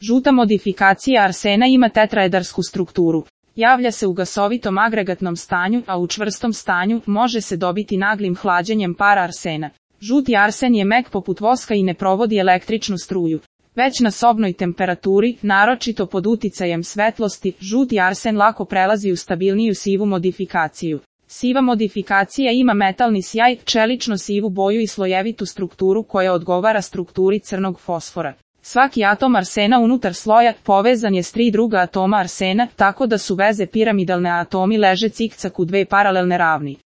Žuta modifikacija arsena ima tetraedersku strukturu. Javlja se u gasovitom agregatnom stanju, a u čvrstom stanju može se dobiti naglim hlađenjem para arsena. Žuti arsen je mek poput voska i ne provodi električnu struju. Već na sobnoj temperaturi, naročito pod uticajem svetlosti, žuti arsen lako prelazi u stabilniju sivu modifikaciju. Siva modifikacija ima metalni sjaj, čelično sivu boju i slojevitu strukturu koja odgovara strukturi crnog fosfora. Svaki atom arsena unutar sloja povezan je s 3 druga atoma arsena, tako da su veze piramidalne, a atomi leže cikcak u 2 paralelne ravni.